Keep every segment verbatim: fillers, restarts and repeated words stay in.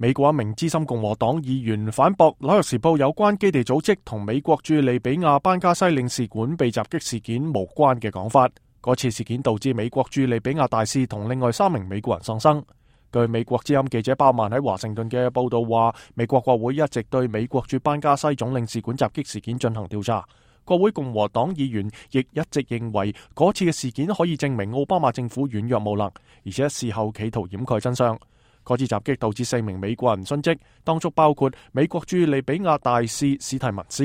美國一名資深共和黨議員反駁《紐約時報》有關基地組織同美國駐利比亞班加西領事館被襲擊事件無關嘅講法。嗰次事件導致美國駐利比亞大使同另外三名美國人喪生。據美國之音記者鮑曼喺華盛頓嘅報道話，美國國會一直對美國駐班加西總領事館襲擊事件進行調查。國會共和黨議員亦一直認為嗰次嘅事件可以證明奧巴馬政府軟弱無能，而且事後企圖掩蓋真相。嗰次襲擊導致四名美國人殉職，當中包括美國駐利比亞大使史蒂文斯。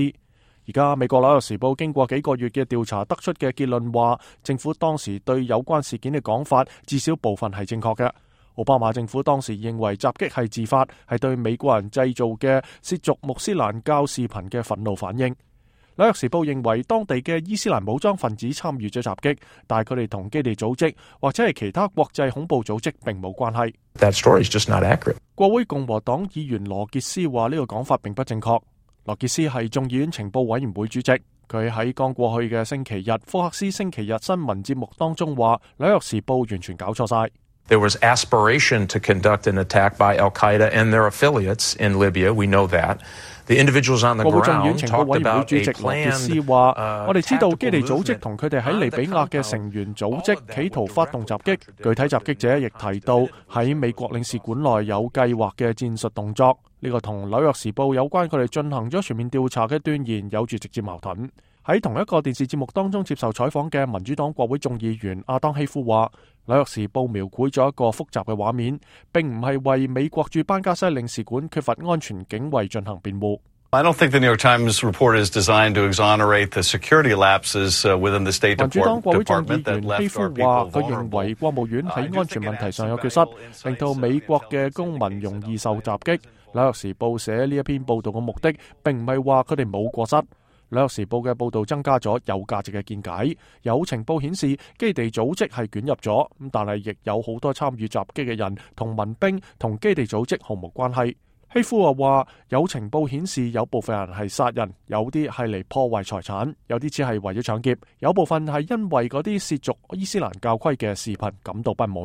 而家美國紐約時報經過幾個月嘅調查得出嘅結論話，政府當時對有關事件嘅講法至少部分係正確嘅。奧巴馬政府當時認為襲擊係自發，係對美國人製造嘅褻瀆穆斯蘭教視頻嘅憤怒反應。紐約時報認為當地嘅伊斯蘭武裝分子參與咗襲擊，但係佢哋同基地組織或者係其他國際恐怖組織並冇關係。That story is just not accurate. 國會共和黨議員羅傑斯話呢個講法並不正確。羅傑斯係眾議院情報委員會主席，佢喺剛過去嘅星期日福克斯星期日新聞節目當中話，紐約時報完全搞錯晒。There was aspiration to conduct an attack by Al-Qaeda and their affiliates in Libya. We know that. The individuals on the ground talked about a plan. 話我哋知道基地組織同佢哋喺利比亞嘅成員組織企圖發動襲擊，具體襲擊者亦提到喺美國領事館內有計劃嘅戰術動作。呢個同紐約時報有關佢哋進行咗全面調查嘅斷言有住直接矛盾。喺同一個電視節目當中接受採訪嘅民主黨國會眾議員阿當希夫話，紐約時報描繪咗一個複雜嘅畫面，並唔係為美國駐班加西領事館缺乏安全警衛進行辯護。I don't think the New York Times report is designed to exonerate the security lapses within the State Department. 民主黨國會眾議員希夫話，佢認為國務院喺安全問題上有缺失，令到美國嘅公民容易受襲擊。紐約時報寫呢一篇報道嘅目的，並唔係話佢哋冇過失。紐約時報嘅報道增加咗有價值嘅見解，有情報顯示基地組織係捲入咗，咁但係亦有好多參與襲擊嘅人同民兵同基地組織毫無關係。希夫又話，有情報顯示有部分人係殺人，有啲係嚟破壞財產，有啲只係為咗搶劫，有部分係因為嗰啲褻瀆伊斯蘭教規嘅視頻感到不滿。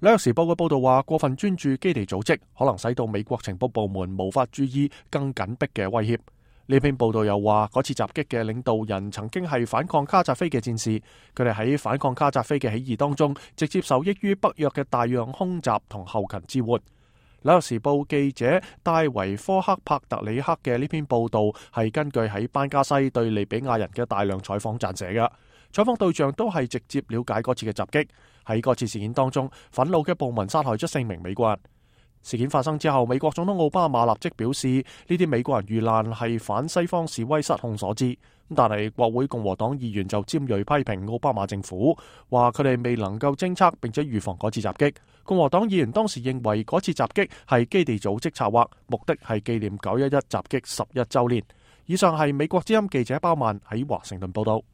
紐約時報嘅報道話，過分專注基地組織可能使到美國情報部門無法注意更緊迫嘅威脅。呢篇報道又話，嗰次襲擊嘅領導人曾經係反抗卡扎菲嘅戰士，佢哋喺反抗卡扎菲嘅起義當中，直接受益於北約嘅大量空襲同後勤支援。紐約時報記者戴維科克帕特里克嘅呢篇報道係根據喺班加西對利比亞人嘅大量採訪撰寫嘅，採訪對象都係直接了解嗰次嘅襲擊。喺嗰次事件當中，憤怒嘅暴民殺害咗四名美國人。事件發生之後，美國總統奧巴馬立即表示，呢啲美國人遇難係反西方示威失控所致。但係國會共和黨議員就尖銳批評奧巴馬政府，話佢哋未能夠偵測並且預防嗰次襲擊。共和黨議員當時認為嗰次襲擊係基地組織策劃，目的係紀念九一一襲擊十一週年。以上係美國之音記者鮑曼喺華盛頓報道。